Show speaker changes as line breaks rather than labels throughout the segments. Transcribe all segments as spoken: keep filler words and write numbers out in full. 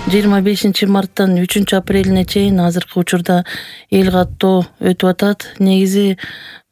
жыйырма бешинчи марттан үчүнчү апрелине чейин азыркы учурда эл каттоо өтүп атат. Негизи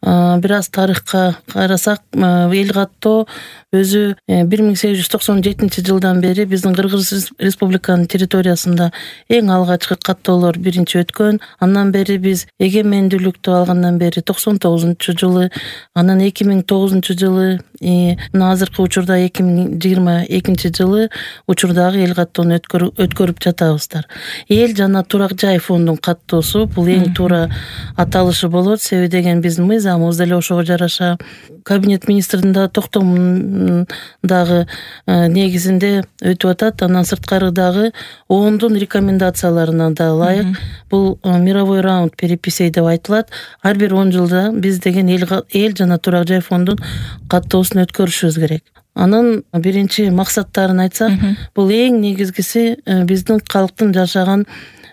бир аз тарыхка карасак, эл каттоо өзү бир миң сегиз жүз токсон жетинчи жылдан бери биздин Кыргыз Республиканын территориясында эң алгачкы каттоолор биринчи өткөн. Андан бери биз эгемендүүлүктү алгандан бери токсон тогузунчу жылы, анан эки миң тогузунчу жылы, мына азыркы учурда эки миң жыйырма экинчи жылы учурдагы эл каттоону өткөрүп жатабыздар. Эл жана турак жай фондунун каттоосу бул эң туура аталышы болот. Себеби деген биздин мыйзамыбыз деле ошого жараша. Кабинет министрдин да токтомун дагы негизинде өтүп атат. Андан сырткары дагы оондун рекомендацияларына да ылайык бул мировой раунд переписей деп айтылат. Ар бир он жылда биз деген эл эл жана турак жай фондун каттоосун өткөрүшүбүз керек. Анын биринчи максаттарын айтсак, бул эң негизгиси биздин калктын жашаган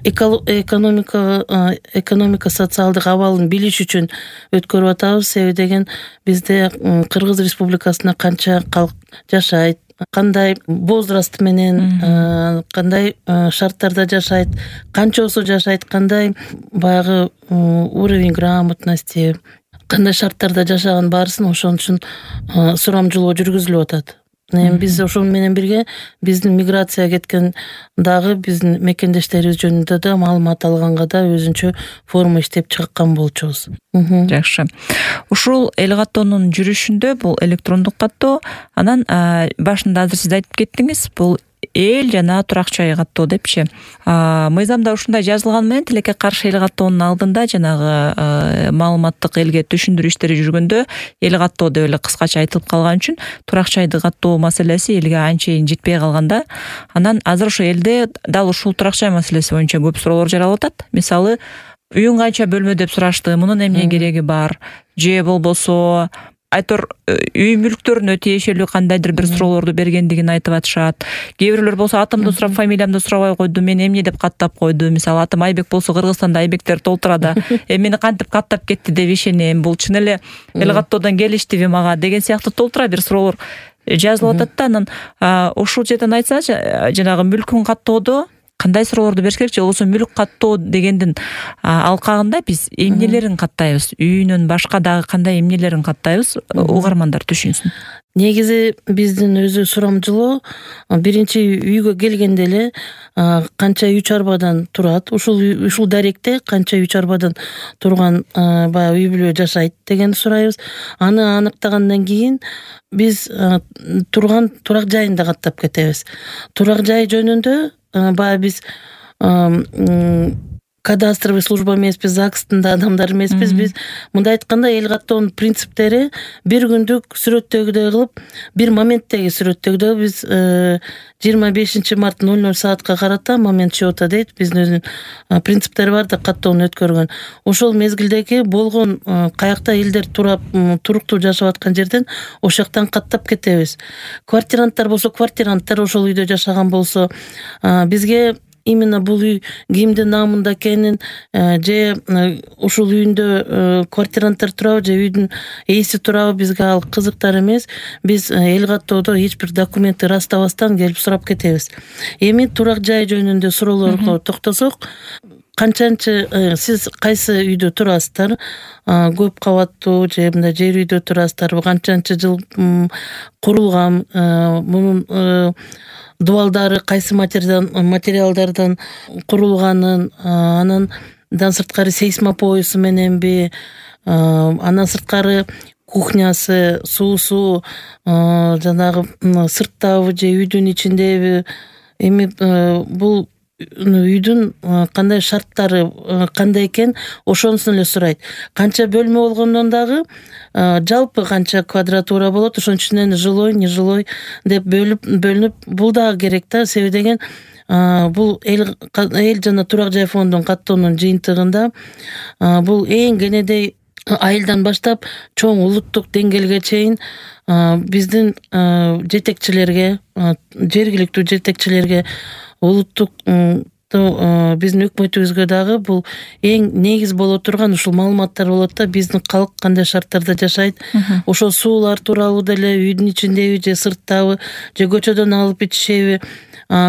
экономика экономика социалдык абалын билиш үчүн өткөрүп атабыз. Себеби деген бизде Кыргыз Республикасында канча калк жашайт, кандай возраст менен, кандай шарттарда жашайт, канчосу жашайт, кандай баягы уровень грамотности, кандай шарттарда жашаган баарысын ошон үчүн сурамжылоо жүргүзүлүп атат. Эми биз ошол менен бирге биздин миграцияга кеткен дагы биздин мекендештерибиз жөнүндө да маалымат алганга да өзүнчө форма иштеп чыккан болчубуз.
Жакшы. Ушул эл каттоонун жүрүшүндө бул электрондук каттоо, анан башында азыр сиз айтып кеттиңиз, бул эл жана турак жай каттоо депчи. Мыйзамда ушундай жазылган менен тилекке каршы эл каттоонун алдында жанагы маалыматтык элге түшүндүрүү иштери жүргөндө эл каттоо деп эле кыскача айтылып калган үчүн турак жайды каттоо маселеси элге анчейин жетпей калганда, анан азыр ошо элде дал ушул турак жай маселеси боюнча көп суроолор жаралып атат. Мисалы, үйүң канча бөлмө деп сурашты, мунун эмне кереги бар, же болбосо айтор үй мүлктөрүнө тиешелүү кандайдыр бир суроолорду бергендигин айтып атышат. Кээ бирлөр болсо атымды сурап, фамилиямды сурабай койду, мен эмне деп каттап койду. Мисалы, атым Айбек болсо Кыргызстанда Айбектер толтурада, эми мени кантип каттап кетти деп ишенем, бул чын эле эл каттоодон келиштиби мага деген сыяктуу толтура бир суроолор жазылып атат да. Анан ушул жерден айтсачы, жанагы мүлкүн каттоодо кандай суроолорду бериш керек, же болбосо мүлк каттоо дегендин алкагында биз эмнелерин каттайбыз, үйүнөн башка дагы кандай эмнелерин каттайбыз, угармандар түшүнсүн.
Негизи биздин өзү сурамжылоо биринчи үйгө келгенде эле канча үй чарбадан турат, ушул ушул даректе канча үй чарбадан турган баягы үй бүлө жашайт дегенди сурайбыз. Аны аныктагандан кийин биз турган турак жайын да каттап кетебиз. Турак жай жөнүндө баягы биз кадастровый служба эмеспиз, ЗАГСтын да адамдар эмеспиз. Биз мындай айтканда эл каттоонун принциптери бир күндүк сүрөттөгүдөй кылып, бир моменттеги сүрөттөгүдөй биз жыйырма бешинчи март ноль ноль саатка карата момент счета дейт, биздин өзүнүн принциптери бар да каттоону өткөргөн. Ошол мезгилдеги болгон каякта элдер турап, туруктуу жашап аткан жерден ошол жактан каттап кетебиз. Квартиранттар болсо, квартиранттар ошол үйдө жашаган болсо, бизге именно бул үй кимдин намында экенин, же ушул үйүндө квартиранттар турабы, же үйдүн ээси турабы, бизге ал кызыктар эмес. Биз эл каттоодо эч бир документти ырастабастан келип сурап кетебиз. Эми турак жай жөнүндө суроолорго токтосок, канчанчы сиз кайсы үйдө турасыздар, көп кабаттуу же мындай жер үйдө турасыздарбы, канчанчы жыл курулган, мунун дубалдары кайсы материалдардан курулганын, анан дан сырткары сейсмопоясу мененби, андан сырткары кухнясы, суусу жанагы сырттабы же үйдүн ичиндеби, эми бул үйдүн кандай шарттары кандай экен ошонусун эле сурайт. Канча бөлмө болгондон дагы жалпы канча квадратура болот, ошонун ичинен жилой, нежилой деп бөлүп бөлүнүп бул дагы керек да. Себеби деген бул эл эл жана турак жай фондунун каттоонун жыйынтыгында бул эң кенедей айылдан баштап чоң улуттук деңгээлге чейин биздин жетекчилерге, жергиликтүү жетекчилерге, улуттук биздин өкмөтүбүзгө дагы бул эң негиз боло турган ушул маалыматтар болот да, биздин калк кандай шарттарда жашайт, ошол суулар тууралуу деле, үйдүн ичиндеби же сырттабы же көчөдөн алып ичишеби,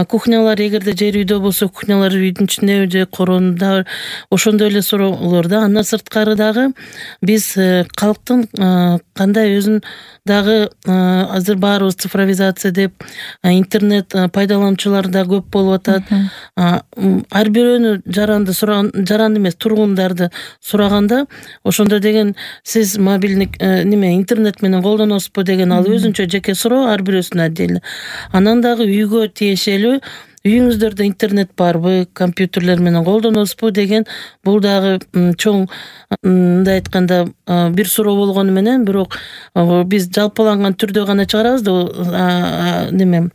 кухнялар эгерде жер үйдө болсо кухнялар үйдүн ичиндеби же короонда, ошондой эле суроолор да. Андан сырткары дагы биз калктын кандай өзүн дагы азыр баарыбыз цифровизация деп интернет пайдалануучулар да көп болуп атат. Ар бирөөнү жаранды сураган, жаранды эмес тургундарды сураганда ошондо деген сиз мобильник неме интернет менен колдоносузбу деген ал өзүнчө жеке суроо, ар бирөөсүнө отдельно. Анан дагы үйгө тиешелүү үйүңүздөрдө интернет барбы, компьютерлер менен колдоносузбу деген бул дагы чоң, мындай айтканда, бир суроо болгону менен, бирок биз жалпыланган түрдө гана чыгарабыз да, неме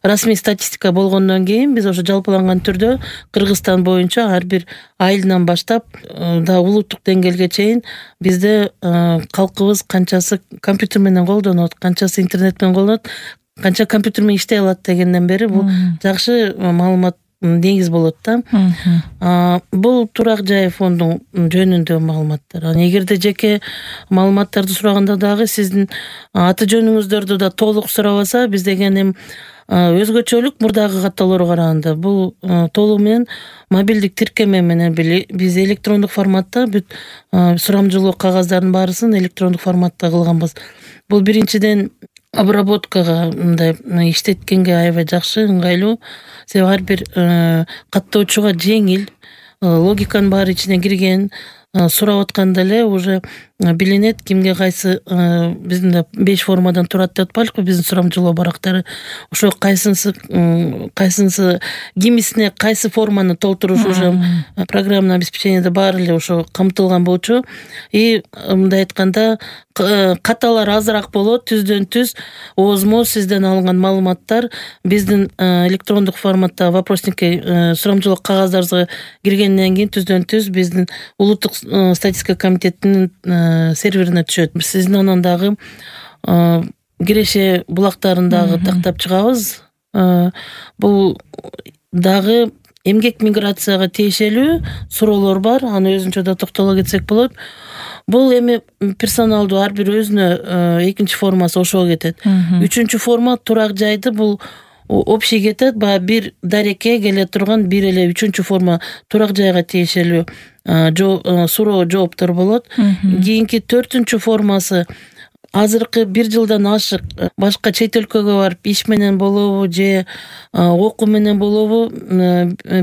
расмий статистика болгондон кийин биз ошо жалпыланган түрдө Кыргызстан боюнча ар бир айылынан баштап да улуттук деңгээлге чейин бизде калкыбыз канчасы компьютер менен колдонот, канчасы интернет менен колдонот, канча компьютер менен иштей алат дегенден бери бул жакшы маалымат негиз болот да. Бул турак жай фондун жөнүндө маалыматтар. Анан эгерде жеке маалыматтарды сураганда дагы сиздин аты жөнүңүздөрдү да толук сурабаса, биз деген эми өзгөчөлүк мурдагы каттоолорго караганда бул толугу менен мобилдик тиркеме менен биз электрондук форматта бүт сурамжылоо кагаздардын баарысын электрондук форматта кылганбыз. Бул биринчиден обработкага мындай иштеткенге аябай жакшы, ыңгайлуу. Себеби ар бир каттоочуга жеңил, логиканын баары ичине кирген, сурап атканда эле уже билинет кимге кайсы, биздин беш формадан турат деп атпайлыкпы биздин сурамжылоо барактары. Ошо кайсынысы кайсынысы кимисине кайсы форманы толтуруш уже программный обеспечениеде баары эле ошо камтылган болчу. И мындай айтканда каталар азыраак болот, түздөн түз оозмо сизден алынган маалыматтар биздин электрондук форматта вопросникке сурамжылоо кагаздарыбызга киргенден кийин түздөн түз биздин улуттук статистика комитетинин серверине түшөт. Сиздин анан дагы киреше булактарын дагы тактап чыгабыз. Бул дагы эмгек миграцияга тиешелүү суроолор бар, аны өзүнчө да токтоло кетсек болот. Бул эми персоналдуу ар бир өзүнө экинчи формасы ошого кетет. Үчүнчү форма турак жайды, бул общий кетет, баягы бир дарекке келе турган бир эле үчүнчү форма турак жайга тиешелүү суроо жооптор болот. Кийинки төртүнчү формасы азыркы бир жылдан ашык башка чет өлкөгө барып иш менен болобу же окуу менен болобу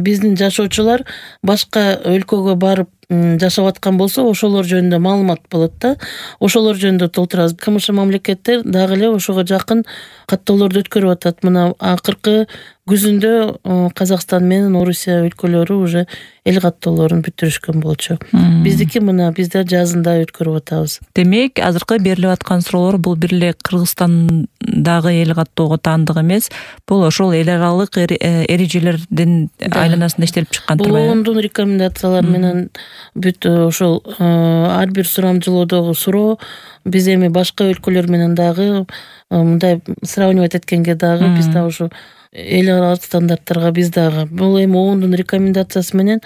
биздин жашоочулар башка өлкөгө барып жашап аткан болсо ошолор жөнүндө маалымат болот да. Ошолор жөнүндө толтурабыз. КМШ мамлекеттер дагы эле ошого жакын каттоолорду өткөрүп атат. Мына акыркы күзүндө Казакстан менен Орусия өлкөлөрү уже эл каттоолорун бүтүрүшкөн болчу. Биздики мына бизде жазында өткөрүп атабыз.
Демек, азыркы берилип аткан суроолор бул бир эле Кыргызстандагы эл каттоого таандык эмес, бул ошол эл аралык эрежелердин айланасында иштелип чыккан турбайбы?
Бул ондун рекомендациялар менен бүт ошол ар бир сурамжылоодогу суроо. Биз эми башка өлкөлөр менен дагы мындай сравнивать эткенге дагы биз да ошо эл аралык стандарттарга биз дагы бул эми ондун рекомендациясы менен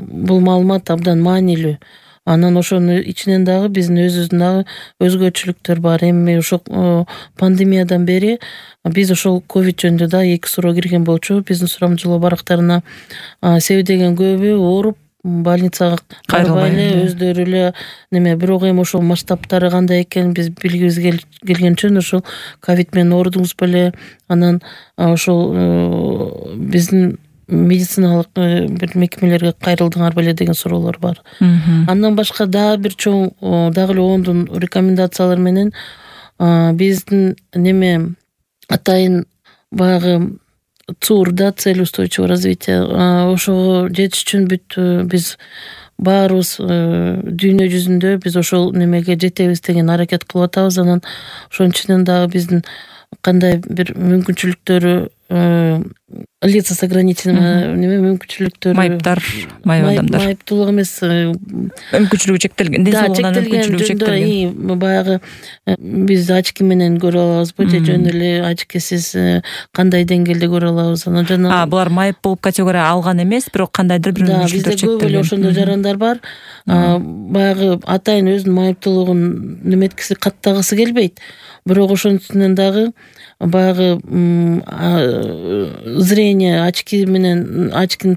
бул маалымат абдан маанилүү. Анан ошонун ичинен дагы биздин өзүбүздүн дагы өзгөчөлүктөр бар. Эми ошо пандемиядан бери биз ошол ковид жөнүндө да эки суроо кирген болчу. Биздин сурамжылоо барактарына себеби деген көбү ооруп больницага кайрылбай эле өздөрү эле неме, бирок эми ошол масштабтары кандай экенин биз билгибиз келген үчүн ошол ковид менен оорудуңуз беле, анан ошол биздин медициналык бир мекемелерге кайрылдыңар беле деген суроолор бар. Андан башка дагы бир чоң дагы эле ондун рекомендациялар менен биздин неме атайын баягы ЦУР да, цель устойчивого развития, ошого жетиш үчүн бүт биз баарыбыз дүйнө жүзүндө биз ошол немеге жетебиз деген аракет кылып атабыз. Анан ошонун ичинен дагы биздин кандай бир мүмкүнчүлүктөрү лица с ограниченными неме мүмкүнчүлүктөрү,
майыптар, майып адамдар,
майыптуулук эмес,
мүмкүнчүлүгү чектелген, ден соолугунан мүмкүнчүлүгү чектелген.
Баягы биз очки менен көрө алабызбы же жөн эле очкисиз кандай деңгээлде көрө алабыз? Анан жана
А, булар майып болуп категория алган эмес, бирок кандайдыр бир мүмкүнчүлүктөр чектелген.
Бизде көп эле ошондой жарандар бар. Баягы атайын өзүнүн майыптуулугун неметкиси каттагысы келбейт. Бирок ошонун үстүнөн дагы баягы зрение очки менен, очкинин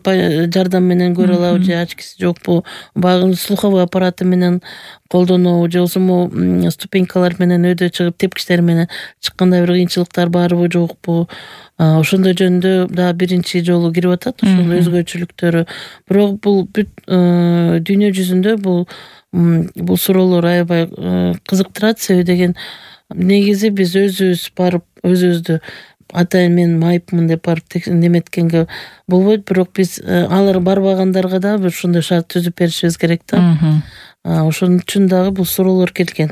жардамы менен көрө алабы же очкиси жокпу, баягы слуховой аппараты менен колдонобу же болбосо ступенькалар менен өйдө чыгып тепкичтер менен чыкканда бир кыйынчылыктар барбы жокпу, ошондой жөнүндө дагы биринчи жолу кирип атат ошол өзгөчөлүктөрү. Бирок бул бүт дүйнө жүзүндө бул бул суроолор аябай кызыктырат. Себеби деген негизи биз өзүбүз барып өзүбүздү атайын мен майыпмын деп барып неметкенге болбойт, бирок биз алар барбагандарга дагы бир ушундай шарт түзүп беришибиз керек да. Ошон үчүн дагы бул суроолор келген.